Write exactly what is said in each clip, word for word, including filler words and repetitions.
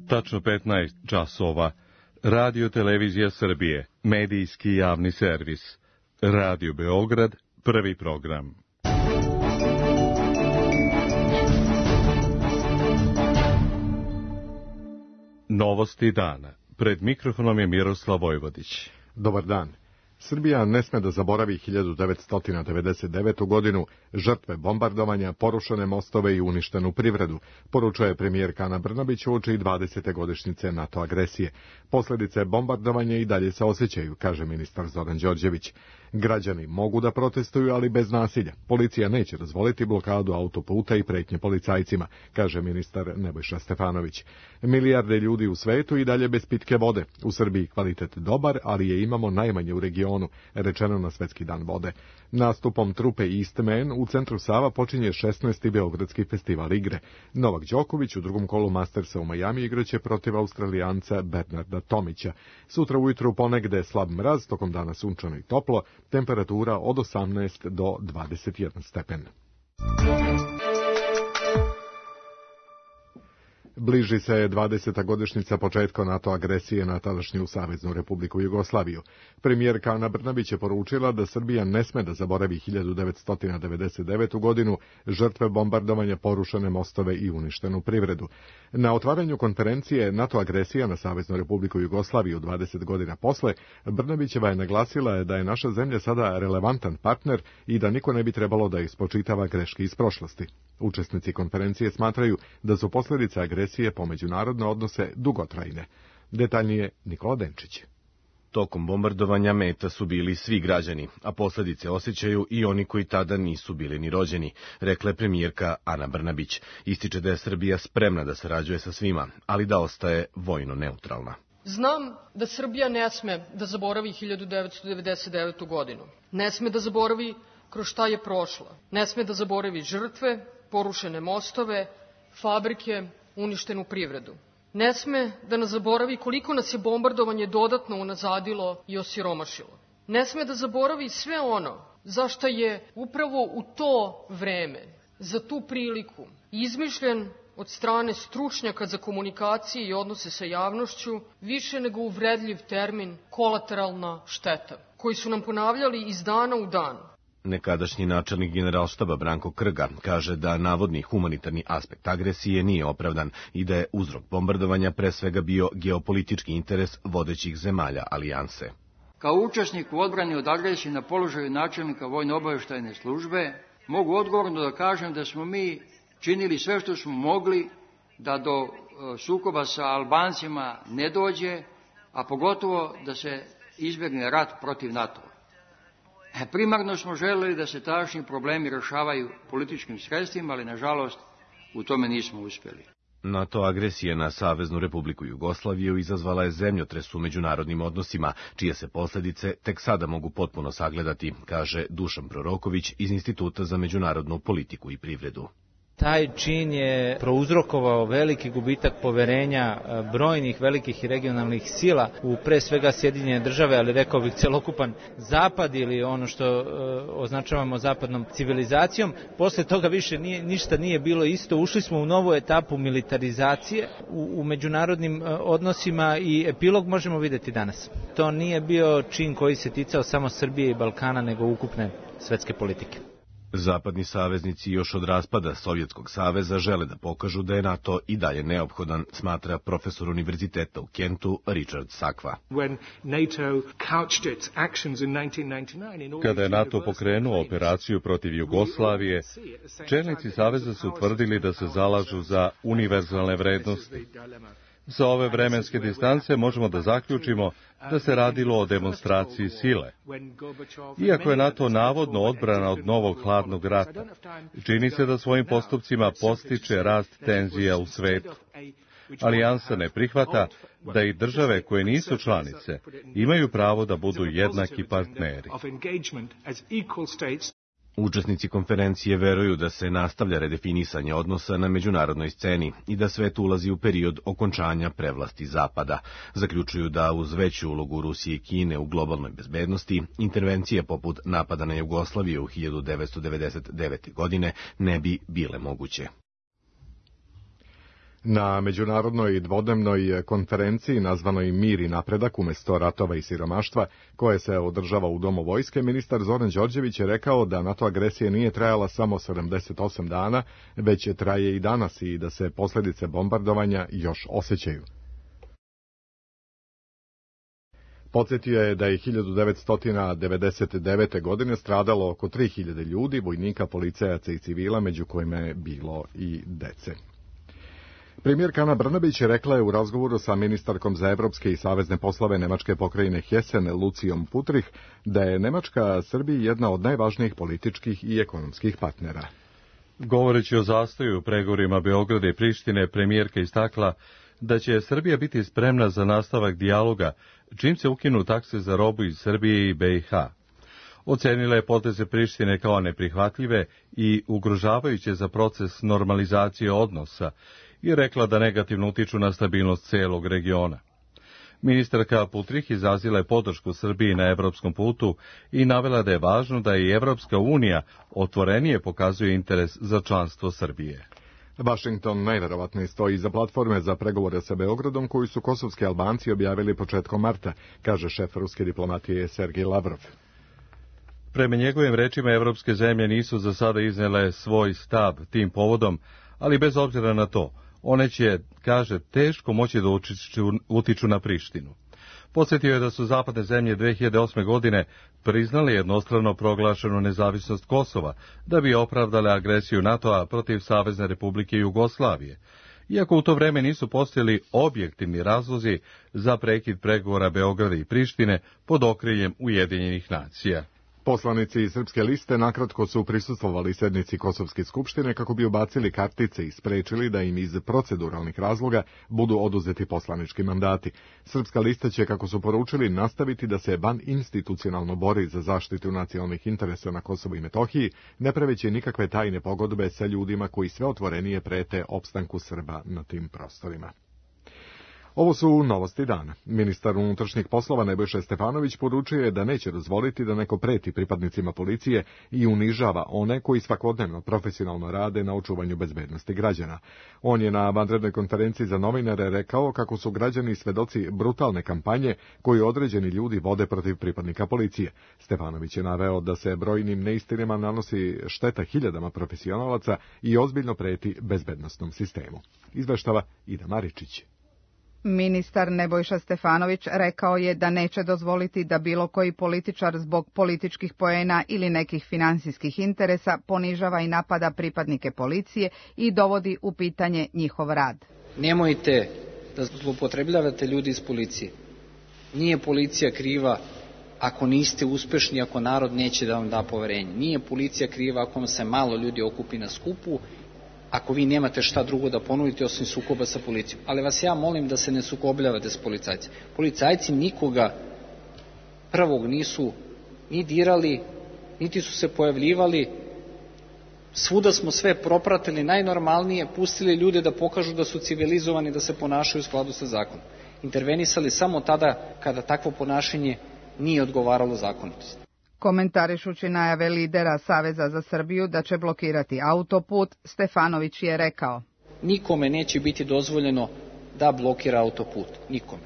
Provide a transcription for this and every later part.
Tačno petnaest časova. Radio Televizija Srbije, medijski javni servis. Radio Beograd, prvi program. Novosti dana. Pred mikrofonom je Miroslav Vojvodić. Dobar dan. Srbija ne sme da zaboravi hiljadu devetsto devedeset devetu. godinu, žrtve bombardovanja, porušene mostove i uništenu privredu, poručuje premijerka Ana Brnabić uoči dvadesete godišnjice NATO agresije. Posledice bombardovanja i dalje se osjećaju, kaže ministar Zoran Đorđević. Građani mogu da protestuju, ali bez nasilja. Policija neće dozvoliti blokadu autoputa i pretnje policajcima, kaže ministar Nebojša Stefanović. Milijarde ljudi u svetu i dalje bez pitke vode. U Srbiji kvalitet dobar, ali je imamo najmanje u regionu, rečeno na Svetski dan vode. Nastupom trupe Eastman u centru Sava počinje šesnaesti Beogradski festival igre. Novak Đoković u drugom kolu Mastersa u Majami igraće protiv Australijanca Bernarda Tomića. Sutra ujutru ponegde slab mraz, tokom dana sunčano i toplo, temperatura od osamnaest do dvadeset jedan stepen. Bliži se dvadeseta godišnjica početka NATO agresije na tadašnju Saveznu Republiku Jugoslaviju. Premijerka Ana Brnabić je poručila da Srbija ne sme da zaboravi hiljadu devetsto devedeset devetu. godinu, žrtve bombardovanja, porušene mostove i uništenu privredu. Na otvaranju konferencije NATO agresija na Saveznu Republiku Jugoslaviju dvadeset godina posle, Brnabićeva je naglasila da je naša zemlja sada relevantan partner i da niko ne bi trebalo da ispočitava greške iz prošlosti. Učesnici konferencije smatraju da su posljedice agresije po međunarodne odnose dugotrajne. Detaljnije Nikola Denčić. Tokom bombardovanja meta su bili svi građani, a posljedice osjećaju i oni koji tada nisu bili ni rođeni, rekla je premijerka Ana Brnabić. Ističe da je Srbija spremna da sarađuje sa svima, ali da ostaje vojno neutralna. Znam da Srbija ne sme da zaboravi hiljadu devetsto devedeset devetu. godinu. Ne sme da zaboravi kroz šta je prošla. Ne sme da zaboravi žrtve, porušene mostove, fabrike, uništenu privredu. Ne sme da nas zaboravi koliko nas je bombardovanje dodatno unazadilo i osiromašilo. Ne sme da zaboravi sve ono za šta je upravo u to vreme, za tu priliku, izmišljen od strane stručnjaka za komunikacije i odnose sa javnošću više nego uvredljiv termin kolateralna šteta, koji su nam ponavljali iz dana u dan. Nekadašnji načelnik Generalštaba Branko Krga kaže da navodni humanitarni aspekt agresije nije opravdan i da je uzrok bombardovanja pre svega bio geopolitički interes vodećih zemalja alijanse. Kao učesnik u odbrani od agresije na položaju načelnika vojno-obavještajne službe mogu odgovorno da kažem da smo mi činili sve što smo mogli da do sukoba sa Albancima ne dođe, a pogotovo da se izbjegne rat protiv NATO-a. Primarno smo želeli da se tadašnji problemi rešavaju političkim sredstvima, ali nažalost u tome nismo uspjeli. NATO agresija na Saveznu Republiku Jugoslaviju izazvala je zemljotres u međunarodnim odnosima, čije se posljedice tek sada mogu potpuno sagledati, kaže Dušan Proroković iz Instituta za međunarodnu politiku i privredu. Taj čin je prouzrokovao veliki gubitak poverenja brojnih velikih i regionalnih sila u pre svega Sjedinjene države, ali rekao bih celokupan zapad ili ono što e, označavamo zapadnom civilizacijom. Posle toga više nije, ništa nije bilo isto. Ušli smo u novu etapu militarizacije u, u međunarodnim e, odnosima i epilog možemo vidjeti danas. To nije bio čin koji se ticao samo Srbije i Balkana, nego ukupne svetske politike. Zapadni saveznici još od raspada Sovjetskog saveza žele da pokažu da je NATO i dalje neophodan, smatra profesor univerziteta u Kentu Richard Sakva. Kada je NATO pokrenuo operaciju protiv Jugoslavije, čelnici saveza su tvrdili da se zalažu za univerzalne vrednosti. Sa ove vremenske distance možemo da zaključimo da se radilo o demonstraciji sile. Iako je NATO navodno odbrana od novog hladnog rata, čini se da svojim postupcima postiče rast tenzija u svetu. Alijansa ne prihvata da i države koje nisu članice imaju pravo da budu jednaki partneri. Učesnici konferencije veruju da se nastavlja redefinisanje odnosa na međunarodnoj sceni i da svet ulazi u period okončanja prevlasti Zapada. Zaključuju da uz veću ulogu Rusije i Kine u globalnoj bezbednosti, intervencije poput napada na Jugoslaviju u hiljadu devetsto devedeset devete. godine ne bi bile moguće. Na međunarodnoj dvodnevnoj konferenciji nazvanoj Mir i napredak umesto ratova i siromaštva, koje se održava u Domu vojske, ministar Zoran Đorđević je rekao da NATO agresija nije trajala samo sedamdeset osam dana, već traje i danas i da se posljedice bombardovanja još osjećaju. Podsjetio je da je hiljadu devetsto devedeset devete. godine stradalo oko tri hiljade ljudi, vojnika, policajaca i civila, među kojima je bilo i dece. Premijerka Ana Brnabić rekla je u razgovoru sa ministarkom za evropske i savezne poslove Nemačke pokrajine Hessen Lucijom Putrih da je Nemačka Srbiji jedna od najvažnijih političkih i ekonomskih partnera. Govoreći o zastoju u pregovorima Beograda i Prištine, premijerka istakla da će Srbija biti spremna za nastavak dijaloga čim se ukinu takse za robu iz Srbije i B i H. Ocenila je poteze Prištine kao neprihvatljive i ugrožavajuće za proces normalizacije odnosa i rekla da negativno utiču na stabilnost celog regiona. Ministarka Putrih izrazila je podršku Srbiji na evropskom putu i navela da je važno da i Evropska unija otvorenije pokazuje interes za članstvo Srbije. Washington najverovatnije stoji iza platforme za pregovore sa Beogradom koju su kosovski Albanci objavili početkom marta, kaže šef ruske diplomatije Sergej Lavrov. Prema njegovim rečima, evropske zemlje nisu za sada iznele svoj stav tim povodom, ali bez obzira na to, one će, kaže, teško moći da utiču na Prištinu. Podsjetio je da su zapadne zemlje dve hiljade osme. godine priznale jednostrano proglašenu nezavisnost Kosova, da bi opravdale agresiju NATO-a protiv Savezne Republike Jugoslavije, iako u to vreme nisu postojali objektivni razlozi za prekid pregovora Beograda i Prištine pod okriljem Ujedinjenih nacija. Poslanici iz Srpske liste nakratko su prisustvovali sednici Kosovske skupštine kako bi ubacili kartice i sprečili da im iz proceduralnih razloga budu oduzeti poslanički mandati. Srpska lista će, kako su poručili, nastaviti da se van institucionalno bori za zaštitu nacionalnih interesa na Kosovu i Metohiji, ne praveći nikakve tajne pogodbe sa ljudima koji sve otvorenije prete opstanku Srba na tim prostorima. Ovo su novosti dana. Ministar unutrašnjih poslova Nebojša Stefanović poručio je da neće dozvoliti da neko preti pripadnicima policije i unižava one koji svakodnevno profesionalno rade na očuvanju bezbednosti građana. On je na vanrednoj konferenciji za novinare rekao kako su građani svedoci brutalne kampanje koju određeni ljudi vode protiv pripadnika policije. Stefanović je naveo da se brojnim neistinama nanosi šteta hiljadama profesionalaca i ozbiljno preti bezbednosnom sistemu. Izveštava Ida Maričić. Ministar Nebojša Stefanović rekao je da neće dozvoliti da bilo koji političar zbog političkih poena ili nekih finansijskih interesa ponižava i napada pripadnike policije i dovodi u pitanje njihov rad. Nemojte da zloupotrebljavate ljudi iz policije. Nije policija kriva ako niste uspešni, ako narod neće da vam da poverenje. Nije policija kriva ako vam se malo ljudi okupi na skupu, ako vi nemate šta drugo da ponudite osim sukoba sa policijom. Ali vas ja molim da se ne sukobljavate s policajcima. Policajci nikoga prvog nisu ni dirali, niti su se pojavljivali. Svuda smo sve propratili najnormalnije, pustili ljude da pokažu da su civilizovani, da se ponašaju u skladu sa zakonom. Intervenisali samo tada kada takvo ponašanje nije odgovaralo zakonitosti. Komentarišući najave lidera Saveza za Srbiju da će blokirati autoput, Stefanović je rekao: nikome neće biti dozvoljeno da blokira autoput. Nikome.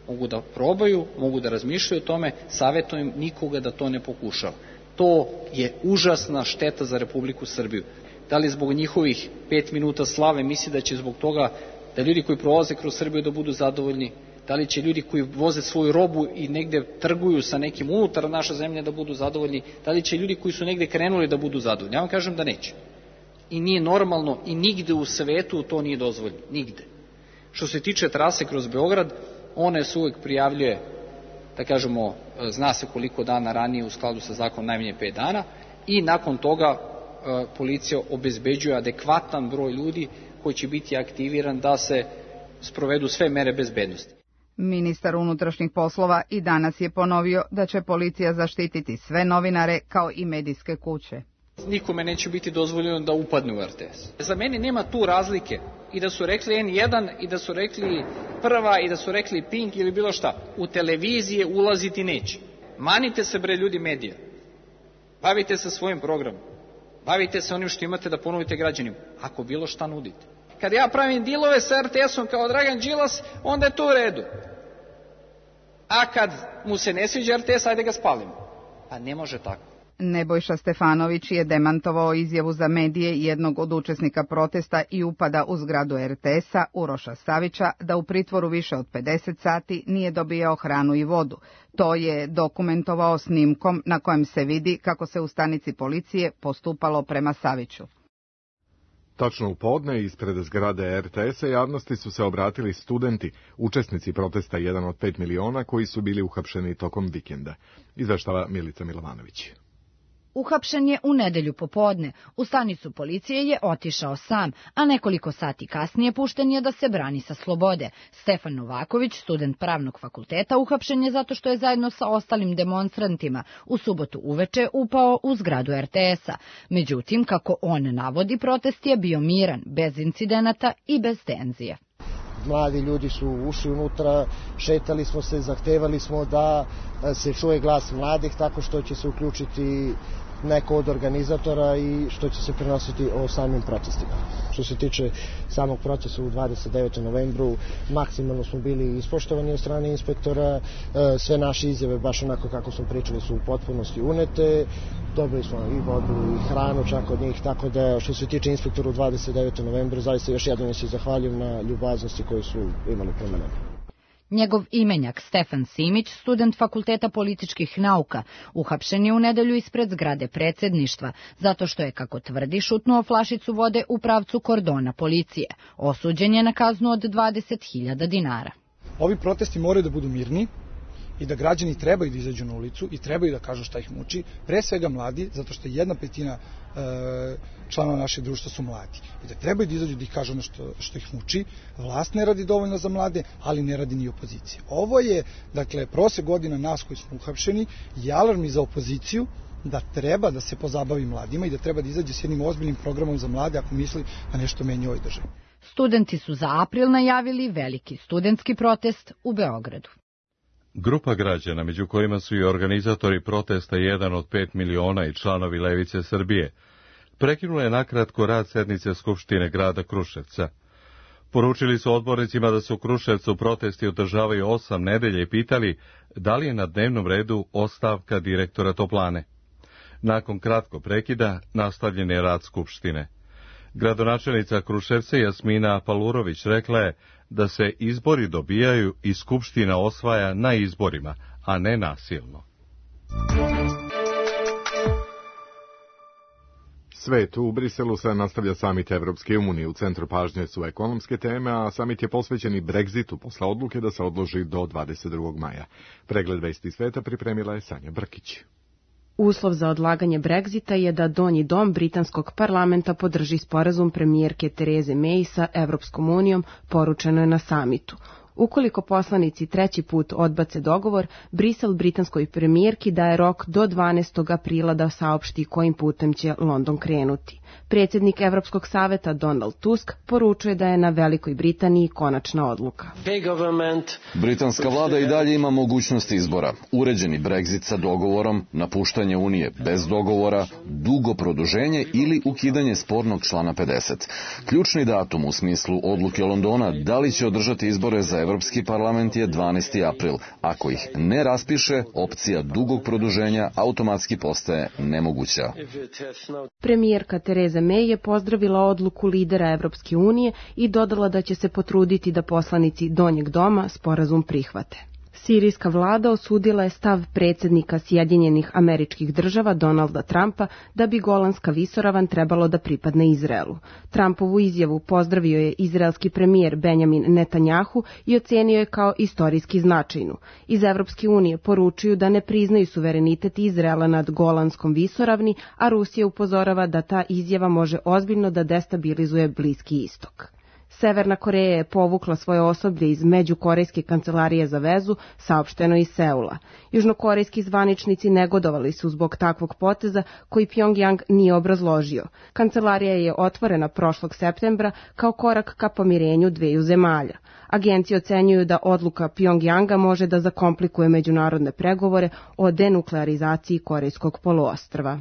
Mogu da probaju, mogu da razmišljaju o tome, savjetujem nikoga da to ne pokušava. To je užasna šteta za Republiku Srbiju. Da li zbog njihovih pet minuta slave misli da će zbog toga da ljudi koji prolaze kroz Srbiju da budu zadovoljni? Da li će ljudi koji voze svoju robu i negde trguju sa nekim unutar naše zemlje da budu zadovoljni? Da li će ljudi koji su negde krenuli da budu zadovoljni? Ja vam kažem da neće. I nije normalno i nigde u svetu to nije dozvoljeno. Nigde. Što se tiče trase kroz Beograd, ona se uvek prijavljuje, da kažemo, zna se koliko dana ranije u skladu sa zakonom, najmanje pet dana, i nakon toga policija obezbeđuje adekvatan broj ljudi koji će biti aktiviran da se sprovedu sve mere bezbednosti. Ministar unutrašnjih poslova i danas je ponovio da će policija zaštititi sve novinare kao i medijske kuće. Nikome neće biti dozvoljeno da upadne u R T S. Za mene nema tu razlike i da su rekli N jedan i da su rekli Prva i da su rekli Pink ili bilo šta. U televizije ulaziti neće. Manite se bre ljudi medija. Bavite se svojim programom. Bavite se onim što imate da ponudite građanima. Ako bilo šta nudite. Kad ja pravim dilove sa er te esom kao Dragan Đilas, onda je to u redu. A kad mu se ne sviđa er te es, ajde ga spalimo. A ne može tako. Nebojša Stefanović je demantovao izjavu za medije jednog od učesnika protesta i upada u zgradu er te esa, Uroša Savića, da u pritvoru više od pedeset sati nije dobijao hranu i vodu. To je dokumentovao snimkom na kojem se vidi kako se u stanici policije postupalo prema Saviću. Tačno u podne ispred zgrade er te esa javnosti su se obratili studenti, učesnici protesta jedan od pet miliona koji su bili uhapšeni tokom vikenda. Izveštava Milica Milovanović. Uhapšen je u nedelju popodne. U stanicu policije je otišao sam, a nekoliko sati kasnije pušten je da se brani sa slobode. Stefan Novaković, student pravnog fakulteta, uhapšen je zato što je zajedno sa ostalim demonstrantima u subotu uveče upao u zgradu er te esa. Međutim, kako on navodi, protest je bio miran, bez incidenata i bez tenzije. Mladi ljudi su ušli unutra, šetali smo se, zahtevali smo da se čuje glas mladih tako što će se uključiti neko od organizatora i što će se prenositi o samim protestima. Što se tiče samog procesa u dvadeset devetom novembru, maksimalno smo bili ispoštovani od strane inspektora, sve naše izjave, baš onako kako smo pričali, su u potpunosti unete, dobili smo i vodu i hranu čak od njih, tako da što se tiče inspektora u dvadeset devetom novembru, zaista još jednom se zahvaljujem na ljubaznosti koju su imali prema nama. Njegov imenjak Stefan Simić, student Fakulteta političkih nauka, uhapšen je u nedelju ispred zgrade predsjedništva, zato što je, kako tvrdi, šutnuo flašicu vode u pravcu kordona policije. Osuđen je na kaznu od dvadeset hiljada dinara. Ovi protesti moraju da budu mirni i da građani trebaju da izađu na ulicu i trebaju da kažu šta ih muči, pre svega mladi, zato što jedna petina e, članova našeg društva su mladi. I da trebaju da izađu da ih kažu ono što, što ih muči. Vlast ne radi dovoljno za mlade, ali ne radi ni opozicija. Ovo je, dakle, prosek godina nas koji smo uhapšeni i alarm i za opoziciju da treba da se pozabavi mladima i da treba da izađe s jednim ozbiljnim programom za mlade ako misli da nešto menja u ovoj državi. Studenti su za april najavili veliki studentski protest u Beogradu. Grupa građana, među kojima su i organizatori protesta jedan od pet miliona i članovi Levice Srbije, prekinula je nakratko rad sednice Skupštine grada Kruševca. Poručili su odbornicima da se u Kruševcu protesti održavaju osam nedelja i pitali da li je na dnevnom redu ostavka direktora toplane. Nakon kratkog prekida nastavljen je rad Skupštine. Gradonačelnica Kruševca Jasmina Palurović rekla je da se izbori dobijaju i Skupština osvaja na izborima, a ne nasilno. Svet u Briselu se nastavlja samit Evropske unije. U centru pažnje su ekonomske teme, a samit je posvećen i Brexitu posle odluke da se odloži do dvadeset drugog maja. Pregled vesti sveta pripremila je Sanja Brkić. Uslov za odlaganje Brexita je da donji dom britanskog parlamenta podrži sporazum premijerke Tereze May sa Evropskom unijom, poručeno je na samitu. Ukoliko poslanici treći put odbace dogovor, Brisel britanskoj premijerki daje rok do dvanaestog aprila da saopšti kojim putem će London krenuti. Predsjednik Evropskog saveta Donald Tusk poručuje da je na Velikoj Britaniji konačna odluka. Britanska vlada i dalje ima mogućnost izbora. Uređeni Brexit sa dogovorom, napuštanje Unije bez dogovora, dugo produženje ili ukidanje spornog člana pedeset. Ključni datum u smislu odluke Londona da li će održati izbore za Evropski parlament je dvanaesti april. Ako ih ne raspiše, opcija dugog produženja automatski postaje nemoguća. Premijerka Tereza May je pozdravila odluku lidera Evropske unije i dodala da će se potruditi da poslanici donjeg doma sporazum prihvate. Sirijska vlada osudila je stav predsjednika Sjedinjenih Američkih Država Donalda Trumpa da bi Golanska visoravan trebalo da pripadne Izraelu. Trumpovu izjavu pozdravio je izraelski premijer Benjamin Netanjahu i ocenio je kao istorijski značajnu. Iz Evropske unije poručuju da ne priznaju suverenitet Izraela nad Golanskom visoravni, a Rusija upozorava da ta izjava može ozbiljno da destabilizuje Bliski istok. Severna Koreja je povukla svoje osoblje iz Međukorejske kancelarije za vezu, saopšteno iz Seula. Južnokorejski zvaničnici negodovali su zbog takvog poteza koji Pjongjang nije obrazložio. Kancelarija je otvorena prošlog septembra kao korak ka pomirenju dveju zemalja. Agencije ocenjuju da odluka Pjongjanga može da zakomplikuje međunarodne pregovore o denuklearizaciji Korejskog poluostrva.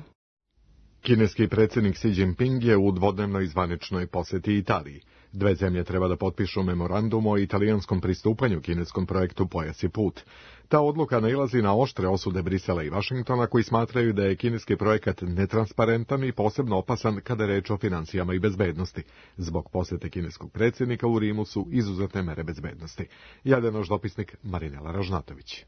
Kineski predsjednik Xi Jinping je u dvodnevnoj zvaničnoj posjeti Italiji. Dve zemlje treba da potpišu memorandum o italijanskom pristupanju kineskom projektu Pojas i put. Ta odluka nailazi na oštre osude Brisela i Vašingtona, koji smatraju da je kineski projekat netransparentan i posebno opasan kada je reč o finansijama i bezbednosti. Zbog posete kineskog predsjednika u Rimu su izuzetne mere bezbednosti. Javlja naš dopisnik Marinela Ražnatović.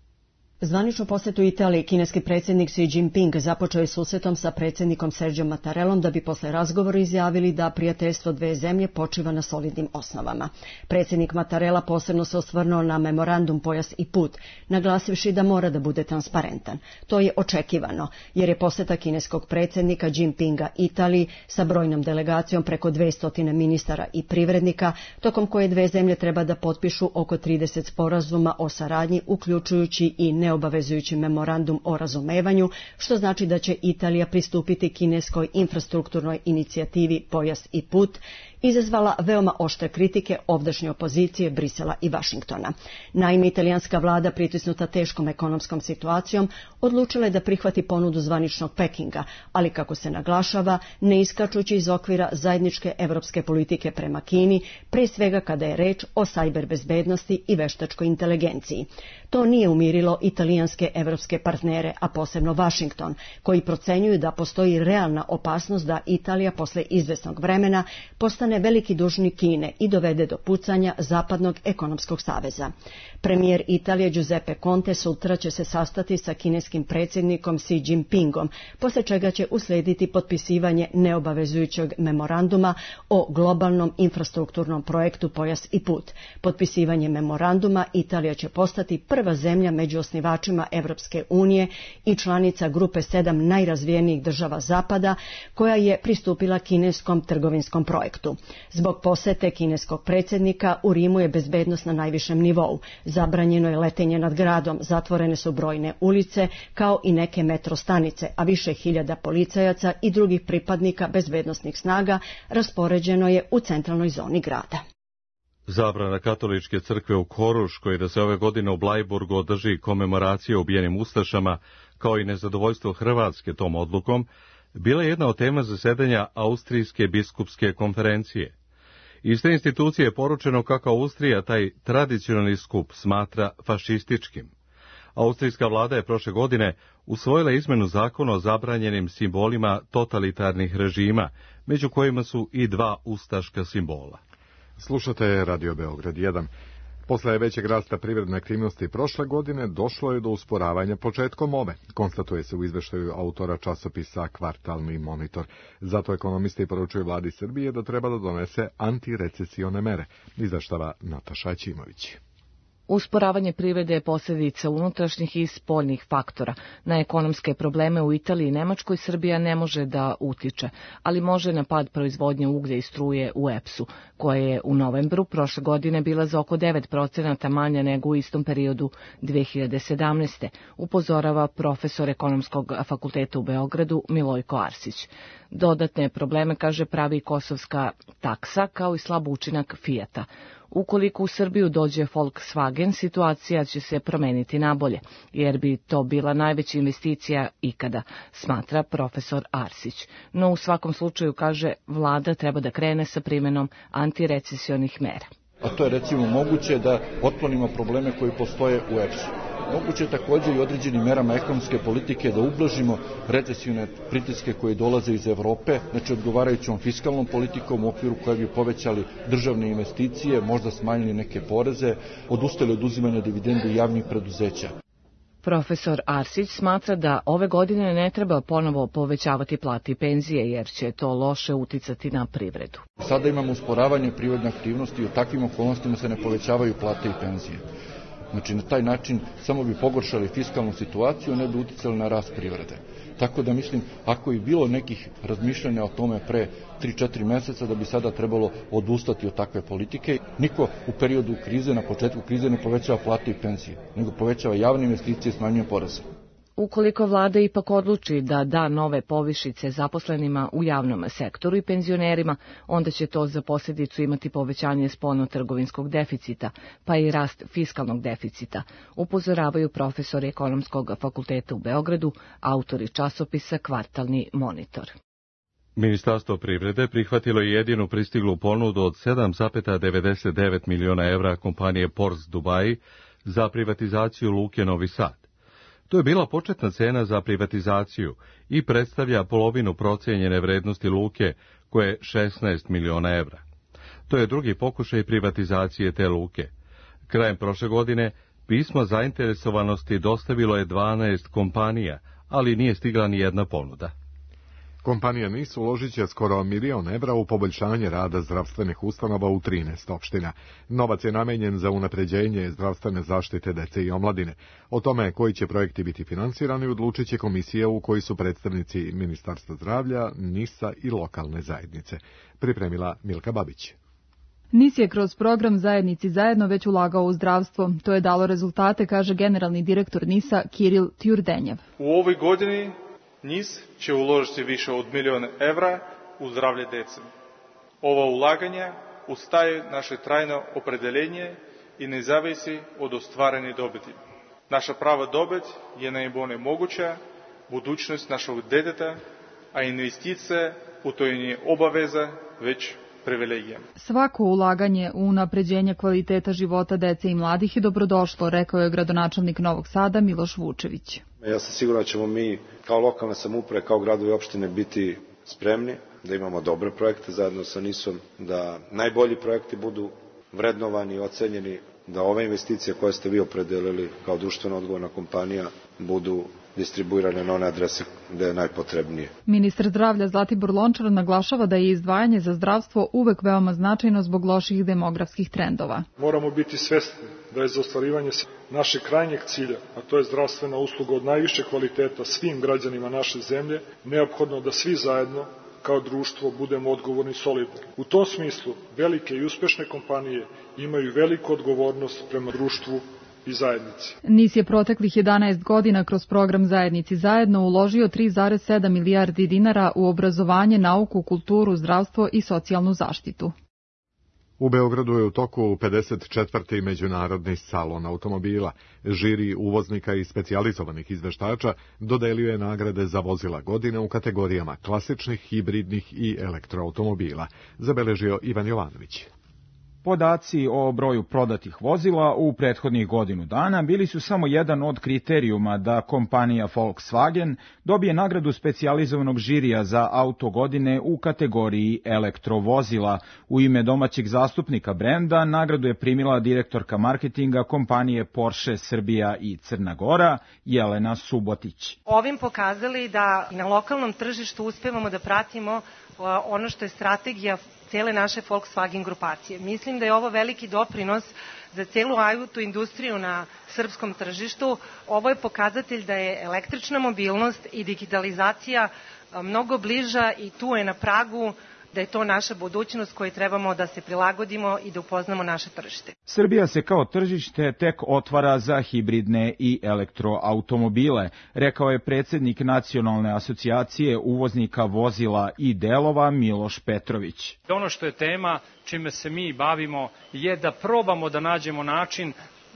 Zvaničnu posetu Italiji kineski predsjednik Xi Jinping započeo je susretom sa predsjednikom Sergijom Mattarellom da bi posle razgovora izjavili da prijateljstvo dve zemlje počiva na solidnim osnovama. Predsjednik Mattarella posebno se osvrnuo na memorandum Pojas i put, naglasivši da mora da bude transparentan. To je očekivano, jer je poseta kineskog predsjednika Jinpinga Italiji sa brojnom delegacijom preko dvesta ministara i privrednika, tokom koje dve zemlje treba da potpišu oko trideset sporazuma o saradnji, uključujući i ne neobavezujući memorandum o razumevanju, što znači da će Italija pristupiti kineskoj infrastrukturnoj inicijativi Pojas i put, izazvala veoma oštre kritike ovdašnje opozicije Brisela i Vašingtona. Naime, italijanska vlada, pritisnuta teškom ekonomskom situacijom, odlučila je da prihvati ponudu zvaničnog Pekinga, ali kako se naglašava, ne iskačući iz okvira zajedničke evropske politike prema Kini, pre svega kada je reč o sajber bezbednosti i veštačkoj inteligenciji. To nije umirilo italijanske evropske partnere, a posebno Vašington, koji procenjuju da postoji realna opasnost da Italija posle izvesnog vremena postane veliki dužnik Kine i dovede do pucanja Zapadnog ekonomskog saveza. Premijer Italije Giuseppe Conte sutra će se sastati sa kineskim predsjednikom Xi Jinpingom, posle čega će uslediti potpisivanje neobavezujućeg memoranduma o globalnom infrastrukturnom projektu Pojas i put. Potpisivanje memoranduma Italija će postati prva zemlja među osnivačima Evropske unije i članica grupe sedam najrazvijenijih država Zapada, koja je pristupila kineskom trgovinskom projektu. Zbog posete kineskog predsjednika u Rimu je bezbednost na najvišem nivou. Zabranjeno je letenje nad gradom, zatvorene su brojne ulice, kao i neke metro stanice, a više hiljada policajaca i drugih pripadnika bezbednosnih snaga raspoređeno je u centralnoj zoni grada. Zabrana katoličke crkve u Koruškoj da se ove godine u Blajburgu održi komemoracija ubijenim ustašama, kao i nezadovoljstvo Hrvatske tom odlukom, bila je jedna od tema zasedanja Austrijske biskupske konferencije. Iz te institucije je poručeno kako Austrija taj tradicionalni skup smatra fašističkim. Austrijska vlada je prošle godine usvojila izmenu zakona o zabranjenim simbolima totalitarnih režima, među kojima su i dva ustaška simbola. Slušate Radio Beograd jedan. Posle većeg rasta privredne aktivnosti prošle godine došlo je do usporavanja početkom ove, konstatuje se u izveštaju autora časopisa Kvartalni monitor. Zato ekonomisti poručuju vladi Srbije da treba da donese antirecesione mere, izveštava Nataša Ćimović. Usporavanje privrede je posljedica unutrašnjih i spoljnih faktora. Na ekonomske probleme u Italiji i Nemačkoj Srbija ne može da utiče, ali može na pad proizvodnje uglja i struje u E P S-u, koja je u novembru prošle godine bila za oko devet procenata manja nego u istom periodu dve hiljade sedamnaeste. upozorava profesor ekonomskog fakulteta u Beogradu Milojko Arsić. Dodatne probleme, kaže, pravi kosovska taksa, kao i slab učinak Fijata. Ukoliko u Srbiju dođe Volkswagen, situacija će se promeniti nabolje, jer bi to bila najveća investicija ikada, smatra profesor Arsić. No u svakom slučaju, kaže, vlada treba da krene sa primjenom antirecesionih mera. A to je recimo moguće da otklonimo probleme koji postoje u E P S-u. Moguće je također i određenim merama ekonomske politike da ublažimo recesijone pritiske koje dolaze iz Evrope, znači odgovarajućom fiskalnom politikom u okviru koje bi povećali državne investicije, možda smanjili neke poreze, odustali od uzimanja dividendi javnih preduzeća. Profesor Arsić smatra da ove godine ne treba ponovo povećavati plate i penzije, jer će to loše uticati na privredu. Sada imamo usporavanje privredne aktivnosti i u takvim okolnostima se ne povećavaju plate i penzije. Znači, na taj način samo bi pogoršali fiskalnu situaciju, ne bi uticali na rast privrede. Tako da mislim, ako je bilo nekih razmišljanja o tome pre tri četiri meseca, da bi sada trebalo odustati od takve politike. Niko u periodu krize, na početku krize, ne povećava plate i penzije, nego povećava javne investicije i smanjuje poreze. Ukoliko vlada ipak odluči da da nove povišice zaposlenima u javnom sektoru i penzionerima, onda će to za posljedicu imati povećanje spoljno-trgovinskog deficita, pa i rast fiskalnog deficita, upozoravaju profesori ekonomskog fakulteta u Beogradu, autori časopisa Kvartalni monitor. Ministarstvo privrede prihvatilo je jedinu pristiglu ponudu od sedam zarez devedeset devet miliona evra kompanije Ports Dubai za privatizaciju luke Novi Sad. To je bila početna cena za privatizaciju i predstavlja polovinu procijenjene vrednosti luke, koje je šesnaest miliona evra. To je drugi pokušaj privatizacije te luke. Krajem prošle godine pismo zainteresovanosti dostavilo je dvanaest kompanija, ali nije stigla ni jedna ponuda. Kompanija N I S uložit će skoro milion evra u poboljšanje rada zdravstvenih ustanova u trinaest opština. Novac je namenjen za unapređenje zdravstvene zaštite dece i omladine. O tome koji će projekti biti finansirani odlučit će komisija u kojoj su predstavnici Ministarstva zdravlja, N I S-a i lokalne zajednice. Pripremila Milka Babić. N I S je kroz program Zajednici zajedno već ulagao u zdravstvo. To je dalo rezultate, kaže generalni direktor N I S-a Kiril Tjurdenjev. U ovoj godini N I S će uložiti više od milion evra u zdravlje dece. Ova ulaganja ustaje naše trajno opredeljenje i ne zavisi od ostvarene dobiti. Naša prava dobit je najbolje moguća budućnost našeg djeteta, a investicija u to nije obaveza, već privilegija. Svako ulaganje u unapređenje kvaliteta života dece i mladih je dobrodošlo, rekao je gradonačelnik Novog Sada Miloš Vučević. Ja sam siguran da ćemo mi kao lokalne samouprave, kao gradovi i opštine biti spremni, da imamo dobre projekte zajedno sa N I S-om, da najbolji projekti budu vrednovani i ocenjeni, da ove investicije koje ste vi opredelili kao društveno odgovorna kompanija budu distribuirane na one adrese gde je najpotrebnije. Ministar zdravlja Zlatibor Lončar naglašava da je izdvajanje za zdravstvo uvek veoma značajno zbog loših demografskih trendova. Moramo biti svesni da je za ostvarivanje našeg krajnjeg cilja, a to je zdravstvena usluga od najviše kvaliteta svim građanima naše zemlje, neophodno da svi zajedno kao društvo budemo odgovorni i solidni. U tom smislu velike i uspešne kompanije imaju veliku odgovornost prema društvu i zajednici. N I S je proteklih jedanaest godina kroz program Zajednici zajedno uložio tri zarez sedam milijardi dinara u obrazovanje, nauku, kulturu, zdravstvo i socijalnu zaštitu. U Beogradu je u toku pedeset četvrti međunarodni salon automobila. Žiri uvoznika i specijalizovanih izveštača dodelio je nagrade za vozila godine u kategorijama klasičnih, hibridnih i elektroautomobila, zabeležio Ivan Jovanović. Podaci o broju prodatih vozila u prethodnih godinu dana bili su samo jedan od kriterijuma da kompanija Volkswagen dobije nagradu specijalizovanog žirija za auto godine u kategoriji elektrovozila. U ime domaćeg zastupnika brenda nagradu je primila direktorka marketinga kompanije Porsche Srbija i Crna Gora, Jelena Subotić. Ovim pokazali da na lokalnom tržištu uspevamo da pratimo ono što je strategija cele naše Volkswagen grupacije. Mislim da je ovo veliki doprinos za celu auto industriju na srpskom tržištu. Ovo je pokazatelj da je električna mobilnost i digitalizacija mnogo bliža i tu je na pragu da je to naša budućnost kojoj trebamo da se prilagodimo i da upoznamo naše tržište. Srbija se kao tržište tek otvara za hibridne i elektroautomobile, rekao je predsjednik Nacionalne asocijacije uvoznika vozila i delova Miloš Petrović. Ono što je tema čime se mi bavimo je da probamo da nađemo način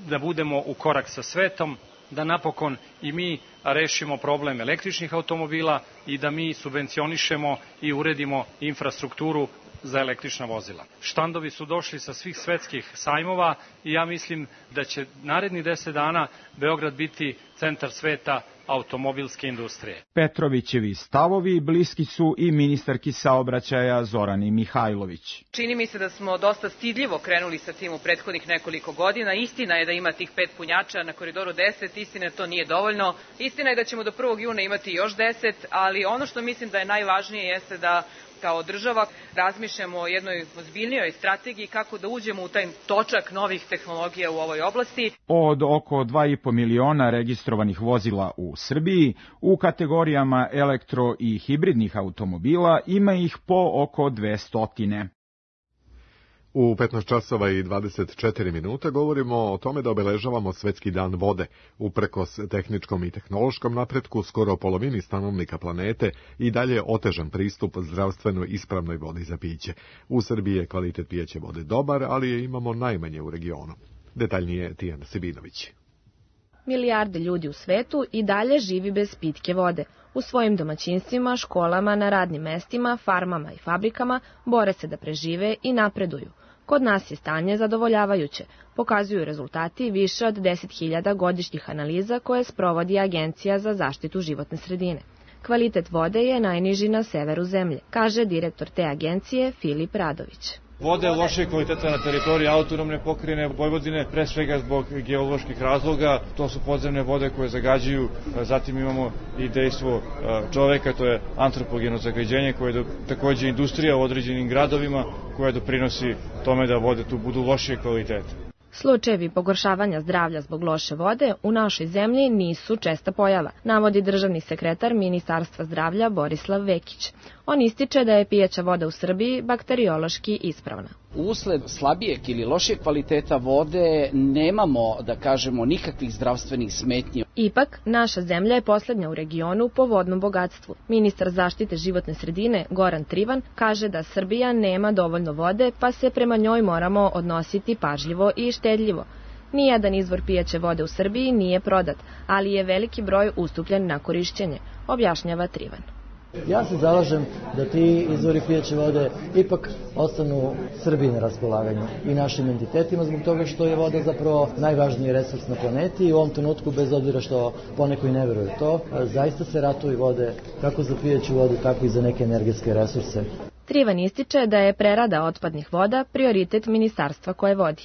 da budemo u korak sa svetom, da napokon i mi rešimo problem električnih automobila i da mi subvencionišemo i uredimo infrastrukturu za električna vozila. Štandovi su došli sa svih svetskih sajmova i ja mislim da će naredni deset dana Beograd biti centar sveta automobilske industrije. Petrovićevi stavovi bliski su i ministarki saobraćaja Zorani Mihajlović. Čini mi se da smo dosta stidljivo krenuli sa tim u prethodnih nekoliko godina. Istina je da ima tih pet punjača na koridoru deset, istina je da to nije dovoljno. Istina je da ćemo do prvog juna imati još deset, ali ono što mislim da je najvažnije jeste da kao država razmišljamo o jednoj ozbiljnijoj strategiji kako da uđemo u taj točak novih tehnologija u ovoj oblasti. Od oko dva i po miliona registrovanih vozila u Srbiji, u kategorijama elektro i hibridnih automobila ima ih po oko dvesta. U petnaest časova i dvadeset četiri minuta govorimo o tome da obeležavamo Svetski dan vode. Uprkos tehničkom i tehnološkom napretku, skoro polovini stanovnika planete i dalje otežan pristup zdravstveno ispravnoj vodi za piće. U Srbiji je kvalitet pijeće vode dobar, ali je imamo najmanje u regionu. Detaljnije Tijana Sibinović. Milijarde ljudi u svetu i dalje živi bez pitke vode. U svojim domaćinstvima, školama, na radnim mestima, farmama i fabrikama bore se da prežive i napreduju. Kod nas je stanje zadovoljavajuće, pokazuju rezultati više od deset hiljada godišnjih analiza koje sprovodi Agencija za zaštitu životne sredine. Kvalitet vode je najniži na severu zemlje, kaže direktor te agencije Filip Radović. Voda je lošeg kvaliteta na teritoriji autonomne pokrajine Vojvodine, pre svega zbog geoloških razloga. To su podzemne vode koje zagađuju, zatim imamo i dejstvo čoveka, to je antropogeno zagađenje, koje je takođe industrija u određenim gradovima koja doprinosi tome da vode tu budu lošije kvaliteta. Slučajevi pogoršavanja zdravlja zbog loše vode u našoj zemlji nisu česta pojava, navodi državni sekretar Ministarstva zdravlja Borislav Vekić. On ističe da je pijaća voda u Srbiji bakteriološki ispravna. Usled slabijeg ili lošijeg kvaliteta vode nemamo, da kažemo, nikakvih zdravstvenih smetnji. Ipak, naša zemlja je poslednja u regionu po vodnom bogatstvu. Ministar zaštite životne sredine Goran Trivan kaže da Srbija nema dovoljno vode, pa se prema njoj moramo odnositi pažljivo i štedljivo. Nijedan izvor pijaće vode u Srbiji nije prodat, ali je veliki broj ustupljen na korišćenje, objašnjava Trivan. Ja se zalažem da ti izvori pijaće vode ipak ostanu Srbiji na raspolaganju i našim entitetima, zbog toga što je voda zapravo najvažniji resurs na planeti i u ovom trenutku, bez obzira što poneko i ne veruje to, zaista se ratovi vode kako za pijaću vodu, tako i za neke energetske resurse. Trivan ističe da je prerada otpadnih voda prioritet ministarstva koje vodi.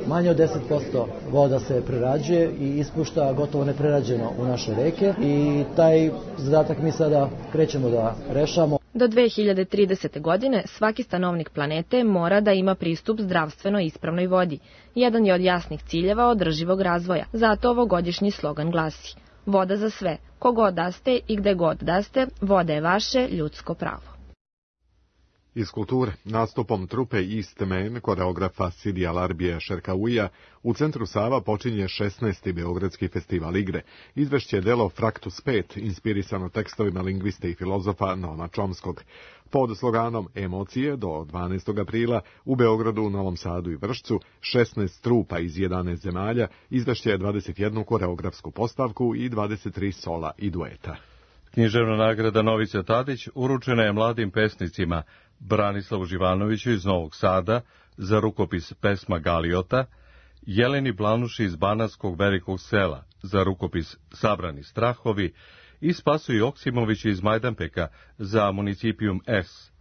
Manje od deset posto voda se prerađuje i ispušta gotovo neprerađeno u naše reke i taj zadatak mi sada krećemo da rešamo. Do dve hiljade tridesete. godine svaki stanovnik planete mora da ima pristup zdravstveno ispravnoj vodi. Jedan je od jasnih ciljeva održivog razvoja, zato ovogodišnji slogan glasi: voda za sve, kogod da ste i gde god da ste, voda je vaše ljudsko pravo. Iz kulture, nastupom trupe East Man, koreografa Sidija Larbija Šerkauija, u centru Sava počinje šesnaesti Beogradski festival igre. Izvešće je delo Fraktus pet, inspirisano tekstovima lingviste i filozofa Noama Chomskog. Pod sloganom Emocije do dvanaestog aprila u Beogradu, Novom Sadu i Vršcu, šesnaest trupa iz jedanaest zemalja, izvešće je dvadeset jednu koreografsku postavku i dvadeset tri sola i dueta. Književna nagrada Novice Tadić uručena je mladim pesnicima Branislavu Živanoviću iz Novog Sada za rukopis Pesma Galiota, Jeleni Blanuši iz Banatskog Velikog Sela za rukopis Sabrani strahovi i Spasu Joksimoviću iz Majdanpeka za Municipijum S.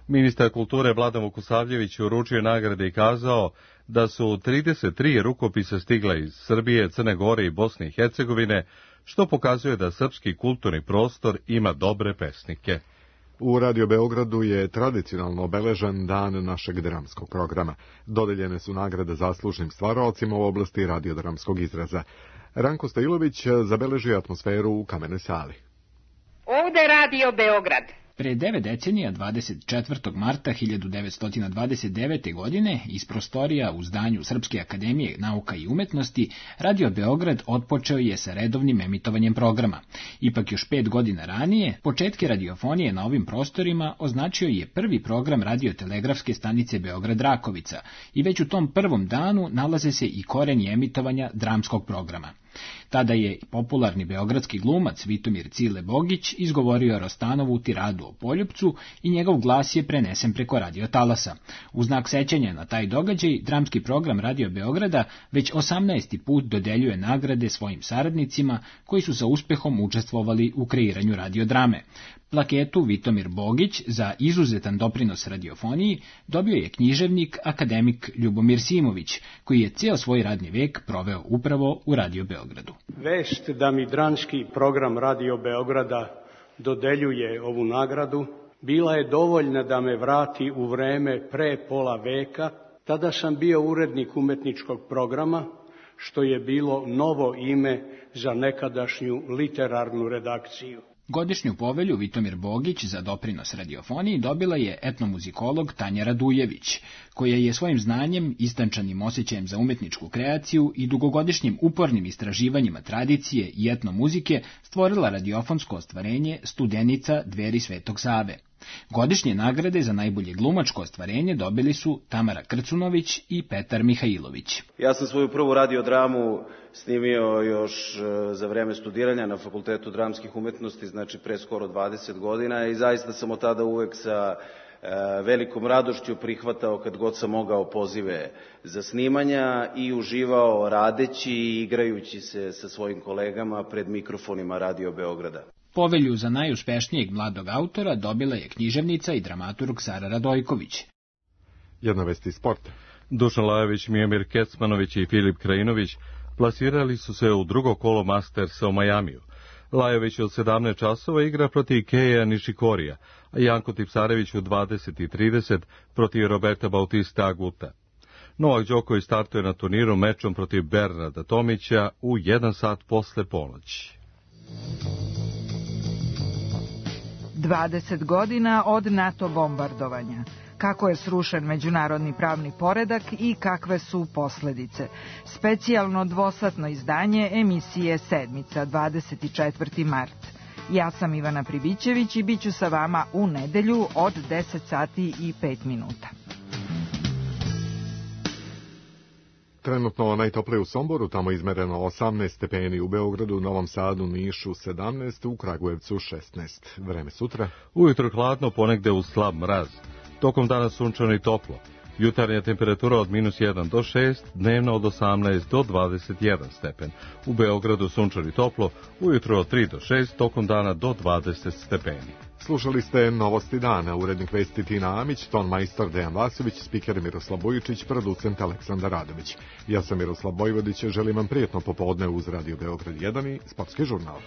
Ministar kulture Vladan Vukosavljević uručio nagrade i kazao da su trideset tri rukopisa stigla iz Srbije, Crne Gore i Bosne i Hercegovine, što pokazuje da srpski kulturni prostor ima dobre pesnike. U Radio Beogradu je tradicionalno obeležen dan našeg dramskog programa. Dodeljene su nagrade zaslužnim stvaralcima u oblasti radiodramskog izraza. Ranko Stajilović zabeležio atmosferu u Kamenoj sali. Ovde Radio Beograd. Pre devet decenija, dvadeset četvrtog marta hiljadu devetsto dvadeset devete. godine, iz prostorija u zdanju Srpske akademije nauka i umetnosti, Radio Beograd otpočeo je sa redovnim emitovanjem programa. Ipak još pet godina ranije, početke radiofonije na ovim prostorima označio je prvi program radiotelegrafske stanice Beograd-Rakovica i već u tom prvom danu nalaze se i koreni emitovanja dramskog programa. Tada je popularni beogradski glumac Vitomir Cile Bogić izgovorio Rostanovu tiradu o Poljupcu i njegov glas je prenesen preko radiotalasa. U znak sećanja na taj događaj, dramski program Radio Beograda već osamnaesti put dodeljuje nagrade svojim saradnicima koji su sa uspehom učestvovali u kreiranju radiodrame. Plaketu Vitomir Bogić za izuzetan doprinos radiofoniji dobio je književnik akademik Ljubomir Simović, koji je ceo svoj radni vek proveo upravo u Radio Beogradu. Vest da mi dramski program Radio Beograda dodeljuje ovu nagradu bila je dovoljna da me vrati u vreme pre pola veka. Tada sam bio urednik umetničkog programa, što je bilo novo ime za nekadašnju literarnu redakciju. Godišnju povelju Vitomir Bogić za doprinos radiofoniji dobila je etnomuzikolog Tanja Radujević, koja je svojim znanjem, istančanim osjećajem za umetničku kreaciju i dugogodišnjim upornim istraživanjima tradicije i etnomuzike stvorila radiofonsko ostvarenje Studenica Dveri Svetog Save. Godišnje nagrade za najbolje glumačko ostvarenje dobili su Tamara Krcunović i Petar Mihajlović. Ja sam svoju prvu radiodramu snimio još za vreme studiranja na Fakultetu dramskih umetnosti, znači pre skoro dvadeset godina, i zaista sam od tada uvek sa velikom radošću prihvatao kad god sam mogao pozive za snimanja i uživao radeći i igrajući se sa svojim kolegama pred mikrofonima Radio Beograda. Povelju za najuspešnijeg mladog autora dobila je književnica i dramaturg Sara Radojković. Jedna vest iz sporta. Dušan Lajović, Mijomir Kecmanović i Filip Krajinović plasirali su se u drugo kolo Mastersa u Majamiju. Lajović od sedamnaest časova igra protiv Keija Nishikorija, a Janko Tipsarević u dvadeset i trideset protiv Roberta Bautista Aguta. Novak Đoković startuje na turniru mečom protiv Bernarda Tomića u jedan sat posle ponoći. dvadeset godina od NATO bombardovanja. Kako je srušen međunarodni pravni poredak i kakve su posledice. Specijalno dvosatno izdanje emisije Sedmica, dvadeset četvrti mart. Ja sam Ivana Pribićević i bit ću sa vama u nedelju od deset sati i pet minuta. Trenutno najtoplije u Somboru, tamo izmereno osamnaest stepeni, u Beogradu, Novom Sadu, Nišu sedamnaest, u Kragujevcu šesnaest. Vreme sutra. Ujutro hladno, ponegde uz slab mraz. Tokom dana sunčano i toplo. Jutarnja temperatura od minus jedan do šest, dnevno od osamnaest do dvadeset jedan stepen. U Beogradu sunčano i toplo, ujutro od tri do šest, tokom dana do dvadeset stepeni. Slušali ste Novosti dana, urednik vesti Tina Amić, ton majstor Dejan Vasović, spiker Miroslav Bojičić, producent Aleksandar Radović. Ja sam Miroslav Bojvodić, želim vam prijetno popodne uz Radio Beograd jedan i Sportski žurnal.